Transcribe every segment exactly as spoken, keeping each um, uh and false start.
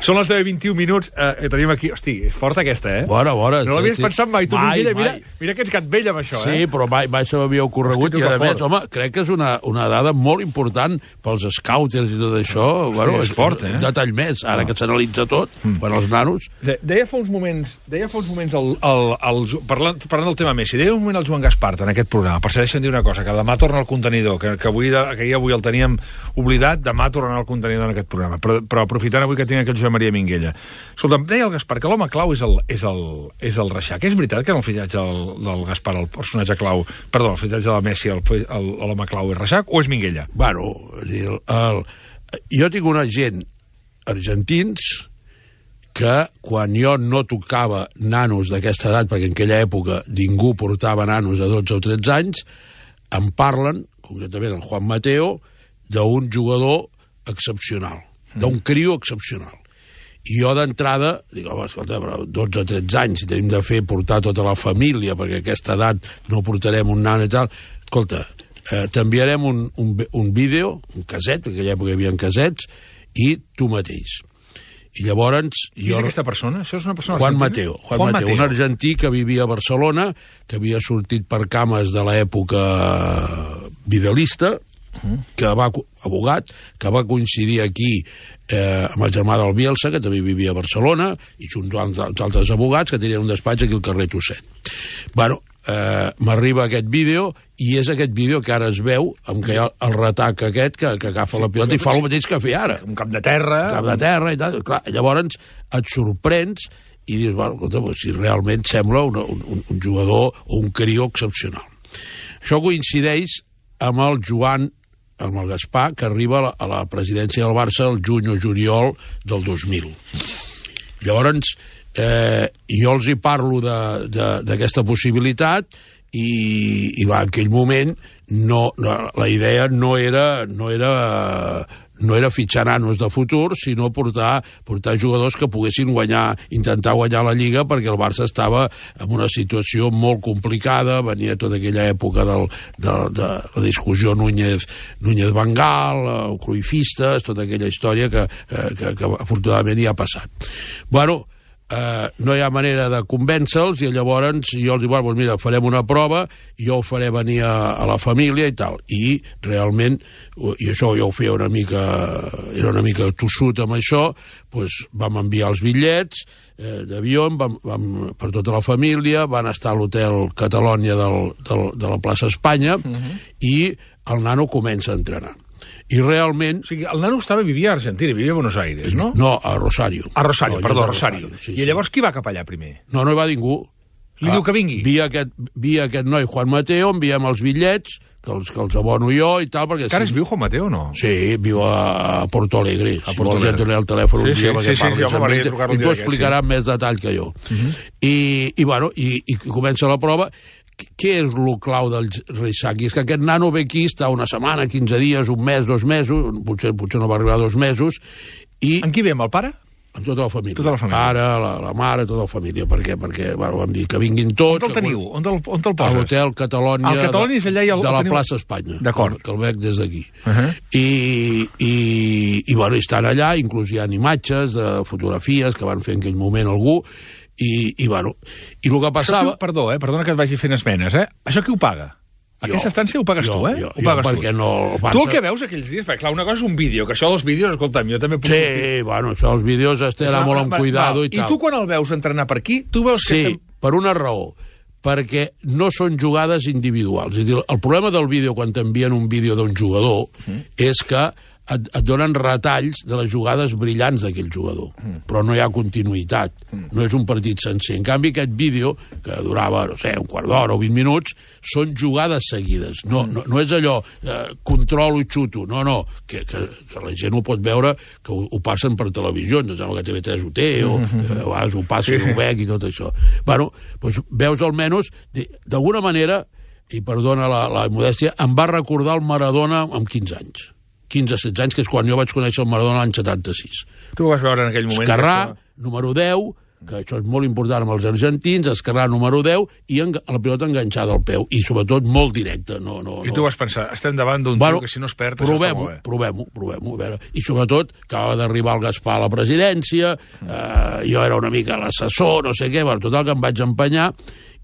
Són les deu i vint-i-un minuts. Eh, tenim aquí... Hosti, és forta aquesta, eh? Bona, bona. No l'havies sí. pensat mai, tu, mai, Minguella. Mira, mai. mira que ets gat vell amb això, sí, eh? Sí, però mai, mai se m'havia ocorregut. Hosti, I, a que més, fort. home, crec que és una, una dada molt important pels scouters i tot això. Hosti, bueno, és fort, eh? Un detall més, ara Ah. que s'analitza tot, mm. per als nanos. De, deia fa uns moments, deia fa uns moments el, el, el, parlant, parlant del tema Messi, deia un moment el Joan Gaspart en aquest programa, per si deixen dir una cosa, que demà torna al contenidor, que, que, avui, que ahir avui el teníem oblidat, demà tornarà al contenidor en aquest programa, però, però aprofitant avui que tinc aquí el Josep Maria Minguella. Escolta, deia el Gaspar que l'home clau és el, és el, és el Reixac. És veritat que en el fillatge del, del Gaspar, el personatge clau, perdó, el fillatge de Messi, el, el, l'home clau és Reixac o és Minguella? Bueno, el, el, jo tinc una gent argentins que quan jo no tocava nanos d'aquesta edat, perquè en aquella època ningú portava nanos de dotze o tretze anys, em parlen, concretament el Juan Mateo, d'un jugador excepcional, d'un crio excepcional. I jo d'entrada, dic, home, escolta, però dotze o tretze anys, si tenim de fer portar tota la família, perquè a aquesta edat no portarem un nan i tal, escolta, eh, t'enviarem un, un, un vídeo, un caset, perquè en aquella època hi havia casets, i tu mateix. I llavors... Qui jo... és aquesta persona? Això és una persona Juan argentina? Mateo, Juan, Juan Mateo, Mateo, un argentí que vivia a Barcelona, que havia sortit per cames de l'època vidalista, uh-huh. que va, abogat, que va coincidir aquí eh, amb el germà del Bielsa, que també vivia a Barcelona, i junt amb altres abogats que tenien un despatx aquí al carrer Tosset. Bueno, eh, m'arriba aquest vídeo, i és aquest vídeo que ara es veu, amb que hi ha el retac aquest, que, que agafa sí, la pilota i fa el mateix que feia ara. Un cap de terra... Un cap de terra i tal. Clar, llavors et sorprens i dius, bueno, escolta, pues, si realment sembla una, un, un jugador o un crió excepcional. Això coincideix amb el Joan, amb el Gaspar, que arriba a la, a la presidència del Barça el juny o juliol del dos mil. Llavors, eh, jo els hi parlo d'aquesta possibilitat i, i va, en aquell moment no, no, la idea no era, no era, no era fitxar nanos de futur, sinó portar, portar jugadors que poguessin guanyar, intentar guanyar la Lliga, perquè el Barça estava en una situació molt complicada, venia tota aquella època del, de, de la discussió Núñez, Núñez Vangal, el Cruyffistes, tota aquella història que, que, que afortunadament hi ha passat. Bueno, Uh, no hi ha manera de convèncer-los i llavors jo els dic, bueno, doncs mira, farem una prova, jo ho faré venir a, a la família i tal, i realment, i això jo ho feia una mica, era una mica tossut amb això, doncs vam enviar els bitllets eh, d'avió, vam, vam, per tota la família, van estar a l'hotel Catalònia del, del, de la plaça Espanya, uh-huh. i el nano comença a entrenar. I realment... O sigui, el nano estava, vivia a Argentina, vivia a Buenos Aires, no? No, a Rosario. A Rosario, no, perdó, a Rosario. Rosario sí, I llavors qui va cap allà primer? No, no hi va ningú. Li ah, diu que vingui? Via aquest, via aquest noi, Juan Mateo, enviem els bitllets, que els, que els abono jo i tal, perquè... Encara si... es viu Juan Mateo o no? Sí, viu a Porto Alegre. A si Porto vols ja et donaré el telèfon sí, un dia sí, perquè sí, parlis sí, sí, amb ell, i t'ho explicarà sí. més detall que jo. Uh -huh. I, i, bueno, i, i comença la prova. Què és el clau del Reixac? És que aquest nano ve aquí, està una setmana, quinze dies, un mes, dos mesos, potser, potser no va arribar a dos mesos, i... En qui ve, amb el pare? Amb tota la família. Tota la família. Pare, la, la mare, tota la família. Per què? Perquè, bueno, vam dir que vinguin tots... On te'l teniu? On te'l, on te'l poses? A l'hotel Catalònia, el Catalònia és allà i el, de la teniu... plaça Espanya. D'acord. Que el veig des d'aquí. Uh -huh. I, i, i, bueno, estan allà, inclús hi ha imatges, de fotografies que van fer en aquell moment algú, i, i bueno, i el que passava... Qui, perdó, eh? Perdona que et vagi fent esmenes, eh? Això qui ho paga? Jo, Aquesta estància ho pagues jo, tu, eh? Jo, ho pagues jo, perquè tu. no... El Barça... Tu el que veus aquells dies, perquè clar, una cosa és un vídeo, que això dels vídeos, escolta'm, jo també puc... Sí, sortir. bueno, això els vídeos es té d'anar molt amb cuidado i tal. I tu quan el veus entrenar per aquí, tu veus sí, que... Sí, per una raó, perquè no són jugades individuals. És a dir, el problema del vídeo, quan t'envien un vídeo d'un jugador, mm. és que et, et donen retalls de les jugades brillants d'aquell jugador, mm. però no hi ha continuïtat, mm. no és un partit sencer. En canvi, aquest vídeo, que durava, no sé, un quart d'hora o vint minuts, són jugades seguides. No, mm. no, no és allò, eh, controlo i xuto, no, no, que, que, que la gent ho pot veure, que ho, ho passen per televisió, no sembla que T V tres ho té, o mm-hmm. eh, a vegades ho passa sí, i ho veig i tot això. Bueno, doncs veus almenys, d'alguna manera, i perdona la, la modèstia, em va recordar el Maradona amb quinze anys. quinze setze anys, que és quan jo vaig conèixer el Maradona l'any setanta-sis. Tu ho vas veure en aquell moment. Esquerrà, que... número deu, que això és molt important amb els argentins, esquerrà número deu i en, la pilota enganxada al peu, i sobretot molt directa. No, no, I tu no. vas pensar, estem davant d'un bueno, tio que si no es perd, això està molt bé. Provem-ho, provem-ho, a veure. I sobretot, acaba d'arribar el Gaspar a la presidència, eh, jo era una mica l'assessor, no sé què, bueno, total que em vaig empenyar,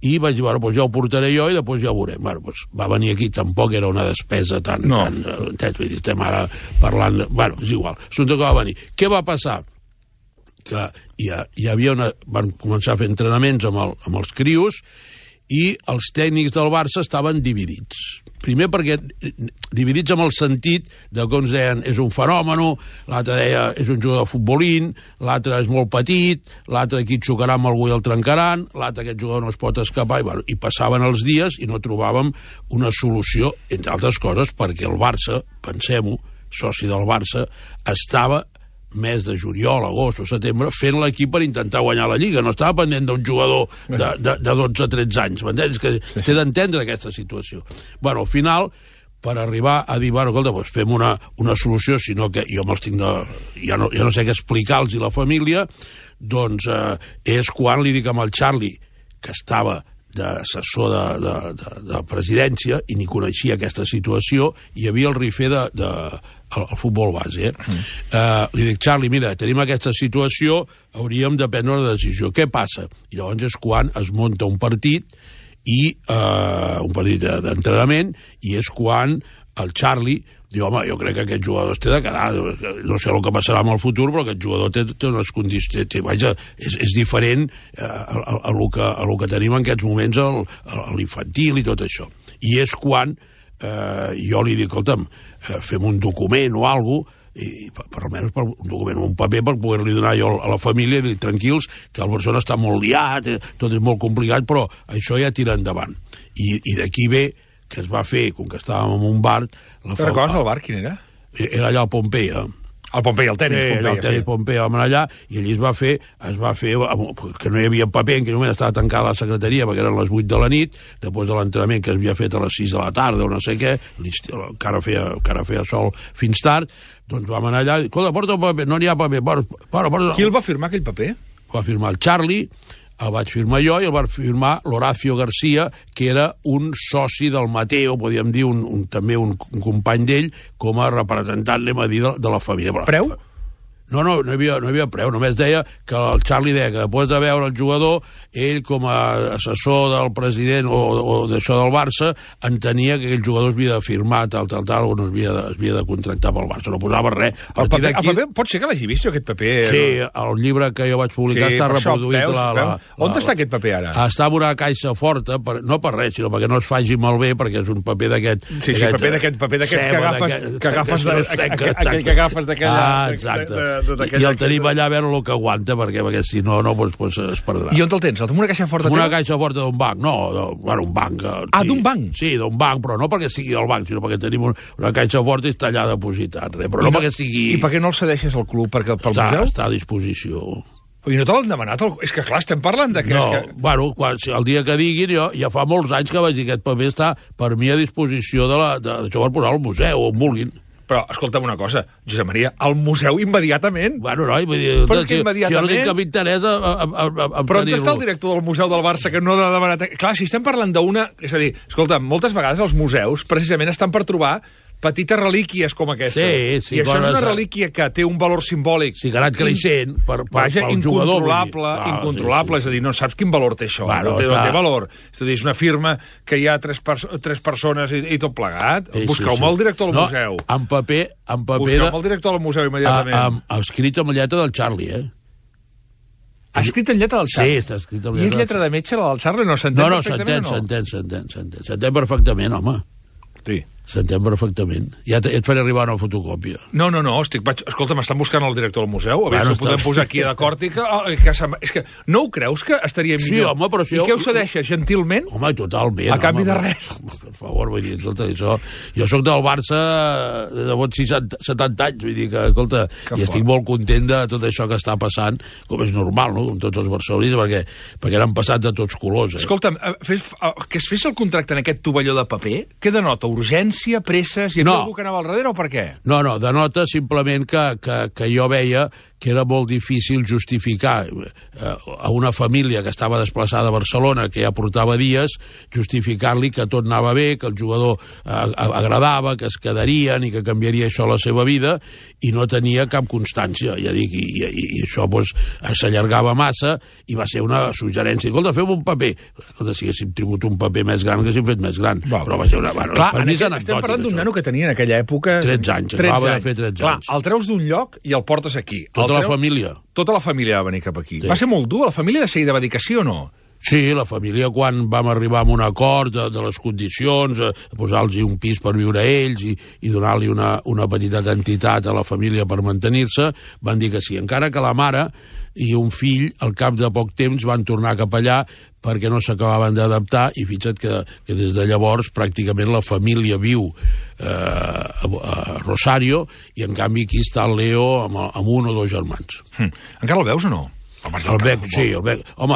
i vaig dir, bueno, doncs ja ho portaré jo i després ja ho veurem. Bueno, doncs va venir aquí, tampoc era una despesa tan... No. tan entès, vull dir, estem ara parlant... De, bueno, és igual, assumpte que va venir. Què va passar? Que hi, ha, hi havia una... Van començar a fer entrenaments amb, el, amb els crios i els tècnics del Barça estaven dividits. Primer perquè dividits amb el sentit de que uns deien és un fenomen, l'altre deia és un jugador de futbolín, l'altre és molt petit, l'altre aquí et xocarà amb algú i el trencaran, l'altre aquest jugador no es pot escapar, i, bueno, i passaven els dies i no trobàvem una solució, entre altres coses perquè el Barça, pensem-ho, soci del Barça, estava mes de juliol, agost o setembre, fent l'equip per intentar guanyar la Lliga. No estava pendent d'un jugador de, de, de dotze o tretze anys, m'entens? Que sí. Té d'entendre aquesta situació. Bueno, al final, per arribar a dir, bueno, escolta, doncs fem una, una solució, sinó que jo me'ls tinc de... Ja no, ja no sé què explicar-los i la família, doncs eh, és quan li dic amb el Charlie, que estava d'assessor de, de, de, de presidència i ni coneixia aquesta situació, hi havia el rifer de, de el, el futbol base. Eh? Mm. Uh, li dic, Charlie, mira, tenim aquesta situació, hauríem de prendre una decisió. Què passa? I llavors és quan es munta un partit, i uh, un partit d'entrenament, i és quan el Charlie diu, home, jo crec que aquest jugador es té de quedar, no sé el que passarà en el futur, però aquest jugador té, té unes condicions, té, vaja, és, és diferent eh, a, a, a, lo que, a lo que tenim en aquests moments a l'infantil i tot això. I és quan eh, jo li dic, escolta'm, eh, fem un document o alguna cosa, i per, per almenys per un document, un paper per poder-li donar jo a la família i dir, tranquils, que el Barcelona està molt liat, eh, tot és molt complicat, però això ja tira endavant. I, i d'aquí ve que es va fer, com que estàvem en un bar... Te'n recordes el bar, quin era? Era allà al Pompeia. El Pompeia, el tenis sí, Pompeia. El tenis sí. Pompeia, vam anar allà, i allí es va fer, es va fer, que no hi havia paper, en aquell moment estava tancada la secretaria, perquè eren les vuit de la nit, després de l'entrenament que es havia fet a les sis de la tarda, o no sé què, encara feia, encara feia sol fins tard, doncs vam anar allà, i, escolta, porta el paper, no n'hi ha paper, porta, porta... Qui el va firmar, aquell paper? El va firmar el Charlie, el vaig firmar jo, i el va firmar l'Horacio García, que era un soci del Mateo, podríem dir, un, un, també un, un company d'ell, com a representant, anem a dir, de, de la família. Preu? No, no, no hi havia, no hi havia preu, només deia que el Charlie deia que després de veure el jugador, ell com a assessor del president o, o d'això del Barça, entenia que aquell jugador es havia de firmar, tal, tal, tal, o no es havia de, es havia de contractar pel Barça, no posava res. El paper, el paper, pot ser que l'hagi vist, aquest paper? Sí, el llibre que jo vaig publicar sí, està reproduït. Veus, la, la, On la, està aquest paper ara? Està en una caixa forta, per, no per res, sinó perquè no es faci malbé, perquè és un paper d'aquest... Sí, sí, paper d'aquest, paper d'aquest que agafes, que agafes, aquell que agafes d'aquella... Ah, exacte. I el tenim allà a veure el que aguanta, perquè, perquè si no, no pues, pues, es perdrà. I on te'l tens? En una caixa forta? En una caixa forta d'un banc, no, de, bueno, un banc. Ah, sí, d'un banc? Sí, d'un banc, però no perquè sigui el banc, sinó perquè tenim un, una caixa forta i està allà depositat, res, però I no, no perquè sigui... I per què no el cedeixes al club? Perquè, pel està, museu? Està a disposició. I no te l'han demanat? És que, clar, estem parlant de que... No, és que... bueno, quan, el dia que diguin, jo, ja fa molts anys que vaig dir que aquest paper està per mi a disposició de la, de, de, per posar al museu, on vulguin. Però, escolta'm una cosa, Josep Maria, al museu immediatament? Bueno, no, vull dir... Però que immediatament... Si jo no tinc cap interès a, a, a, a Però on està el director del Museu del Barça que no ha demanat... Clar, si estem parlant d'una... És a dir, escolta, moltes vegades els museus precisament estan per trobar petites relíquies com aquesta. Sí, sí. I això és una relíquia que té un valor simbòlic... Sí, que ha anat creixent per, per, Vaja, pel jugador. Incontrolable, ah, incontrolable. Sí, sí. És a dir, no saps quin valor té això. Bueno, no, té, no té valor. És a dir, és una firma que hi ha tres, perso tres persones i, i tot plegat. Sí, Busqueu-me sí, sí. el director del no, museu. En paper... En paper Busqueu-me el director del museu immediatament. A, a, escrit amb lletra del Charlie, eh? Ha escrit en lletra del Charlie? Sí, està escrit amb lletra. I és lletra de metge, la del Charlie? No s'entén no, no, perfectament, no? s'entén, s'entén, s'entén. S'entén perfectament, home. Sí. S'entén perfectament. Ja, ja et faré arribar una fotocòpia. No, no, no, estic, vaig, escolta, m'estan buscant el director del museu, a veure bueno, si ho podem posar aquí a d'acord i que... Oh, que és que no ho creus que estaria millor? Sí, home, però si I què ho cedeixes, gentilment? Home, totalment. A canvi home, de res. Home, per favor, vull dir, escolta, això... Jo sóc del Barça de bons setanta anys, vull dir que, escolta, que i estic molt content de tot això que està passant, com és normal, no?, com tots els barcelonins, perquè, perquè n'han passat de tots colors, eh? Escolta'm, fes, que es fes el contracte en aquest tovalló de paper, què denota? Urgència, presses... Hi havia no. algú que anava al darrere o per què? No, no, denota simplement que, que, que jo veia que era molt difícil justificar eh, a una família que estava desplaçada a Barcelona, que ja portava dies, justificar-li que tot anava bé, que el jugador eh, agradava, que es quedarien i que canviaria això la seva vida, i no tenia cap constància, ja dic, i, i, i això doncs, s'allargava massa, i va ser una suggerència. Escolta, fem un paper. Escolta, si haguéssim tingut un paper més gran, que haguéssim fet més gran. Va, però va ser una... Bueno, clar, per mi és anecdòtic, estem parlant d'un nano que tenia en aquella època... tretze anys, acabava de fer tretze clar, anys. El treus d'un lloc i el portes aquí. Tota el la treus... família. Tota la família va venir cap aquí. Sí. Va ser molt dur? La família de seguida va dir que sí o no? Sí, la família, quan vam arribar a un acord de, de les condicions, de posar-los un pis per viure a ells i, i donar-li una, una petita quantitat a la família per mantenir-se, van dir que sí. Encara que la mare i un fill, al cap de poc temps, van tornar cap allà perquè no s'acabaven d'adaptar, i fixa't que, que des de llavors pràcticament la família viu eh, a, a Rosario, i en canvi aquí està el Leo amb, amb un o dos germans. Hm. Encara el veus o no? El bec, sí, el bec. Home,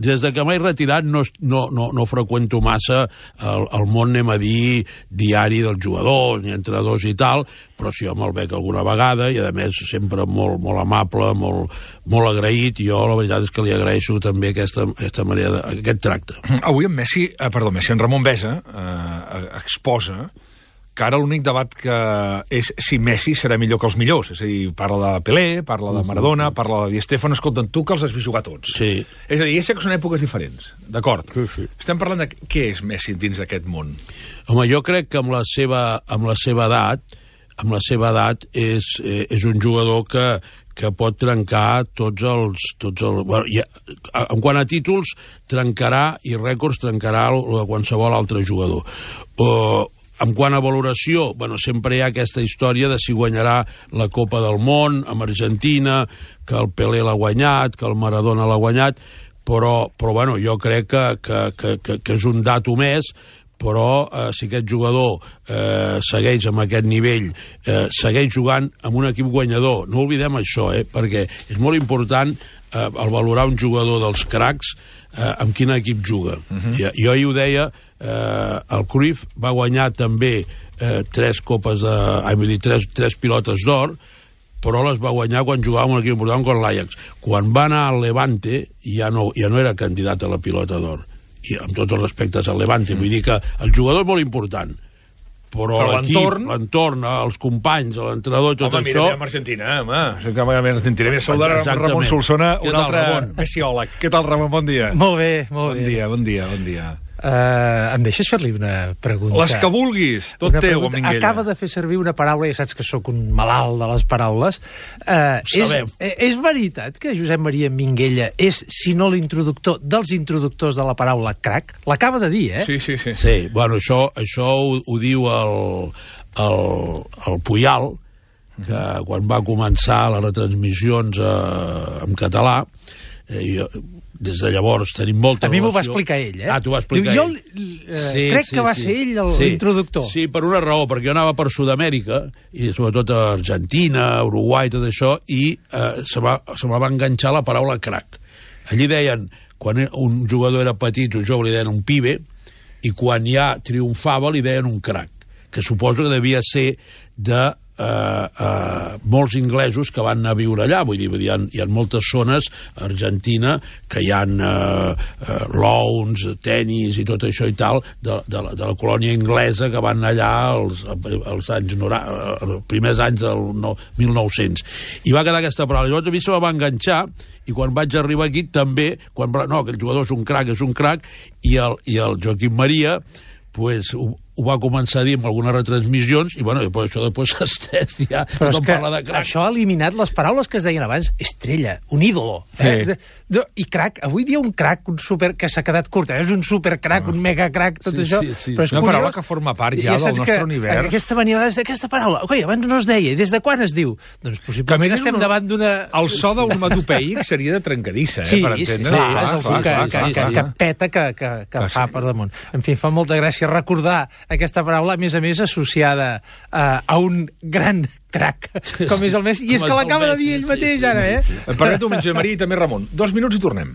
des de que m'he retirat no, no, no, no freqüento massa el, el món, anem a dir, diari dels jugadors, ni entrenadors i tal, però sí, home, el bec alguna vegada, i a més sempre molt, molt amable, molt, molt agraït, i jo la veritat és que li agraeixo també aquesta, aquesta manera, de, aquest tracte. Avui en Messi, eh, perdó, Messi, en Ramon Besa eh, exposa que ara l'únic debat que és si Messi serà millor que els millors. És a dir, parla de Pelé, parla de Maradona, parla de Di Stéfano, escolta, tu que els has vist jugar tots. Sí. És a dir, ja sé que són èpoques diferents, d'acord? Sí, sí. Estem parlant de què és Messi dins d'aquest món. Home, jo crec que amb la seva, amb la seva edat, amb la seva edat és, eh, és un jugador que, que pot trencar tots els... Tots els bueno, ja, en quant a títols, trencarà, i rècords, trencarà el de qualsevol altre jugador. Uh, En quant a valoració, bueno, sempre hi ha aquesta història de si guanyarà la Copa del Món amb Argentina, que el Pelé l'ha guanyat, que el Maradona l'ha guanyat, però, però bueno, jo crec que, que, que, que, que és un dato més, però eh, si aquest jugador eh, segueix amb aquest nivell, eh, segueix jugant amb un equip guanyador, no oblidem això, eh, perquè és molt important eh, el valorar un jugador dels cracs eh, amb quin equip juga. Uh-huh. Jo, jo ahir ho deia, eh, el Cruyff va guanyar també eh, tres copes de... Ai, vull dir, tres, tres pilotes d'or, però les va guanyar quan jugava amb un equip important com l'Ajax. Quan va anar al Levante ja no, ja no era candidat a la pilota d'or, i amb tots els respectes al Levante. Vull dir que el jugador és molt important, però, però l'equip, l'entorn, els companys, l'entrenador, tot home, això... Home, mira, amb Argentina, home. Que amb Argentina. Més saludar amb Ramon Solsona, un altre messiòleg. Què tal, Ramon? Bon dia. Molt bé, molt bon bé. Dia, bon dia, bon dia. Uh, em deixes fer-li una pregunta? Les que vulguis, tot teu, amb Minguella. Acaba de fer servir una paraula, ja saps que sóc un malalt de les paraules. Uh, és, és veritat que Josep Maria Minguella és, si no l'introductor, dels introductors de la paraula crac? L'acaba de dir, eh? Sí, sí, sí. Sí, bueno, això, això ho, ho diu el, el, el Puyal, que quan va començar les retransmissions eh, en català, eh, jo, des de llavors tenim molta relació. A mi m'ho va explicar ell, eh? Ah, t'ho va explicar Diu, ell. Jo eh, sí, crec sí, que va sí. ser ell l'introductor. Sí. sí, per una raó, perquè jo anava per Sud-amèrica, i sobretot a Argentina, Uruguai, tot això, i eh, se, va, se me va enganxar la paraula crac. Allí deien, quan un jugador era petit o jove, li deien un pibe, i quan ja triomfava li deien un crac, que suposo que devia ser de Uh, uh, molts inglesos que van anar a viure allà, vull dir, hi ha, hi ha moltes zones a Argentina que hi ha uh, uh, lawns, tenis i tot això i tal de, de, la, de la colònia inglesa que van anar allà als, als anys noranta, els primers anys del no, mil nou-cents, i va quedar aquesta paraula. Llavors a mi se va enganxar, i quan vaig arribar aquí també, quan, no, aquell jugador és un crac, és un crac, i el, i el Joaquim Maria pues, ho, ho va començar a dir en algunes retransmissions, i bueno, després això després s'ha estès, ja tothom parla de crac. Això ha eliminat les paraules que es deien abans, estrella, un ídolo, eh? Sí. De, de, i crac, avui dia un crac, un super, que s'ha quedat curt, eh? És un supercrac, ah. un megacrac, tot sí, això. Sí, sí. Però és una curiós, paraula que forma part ja, ja del nostre univers. Aquesta venia d'aquesta paraula, oi, abans no es deia, des de quan es diu? Doncs possiblement estem no, davant d'una... El so d'onomatopeic seria de trencadissa, eh, sí, per entendre. Sí, clar, és algú que, que, que, que peta, que, que, que fa per damunt. En fi, fa molta gràcia recordar aquesta paraula, a més a més associada uh, a un gran crac, com és el Messi, i és que l'acaba de dir ell mateix ara, eh? Permeto, Josep Maria i també Ramon. Dos minuts i tornem.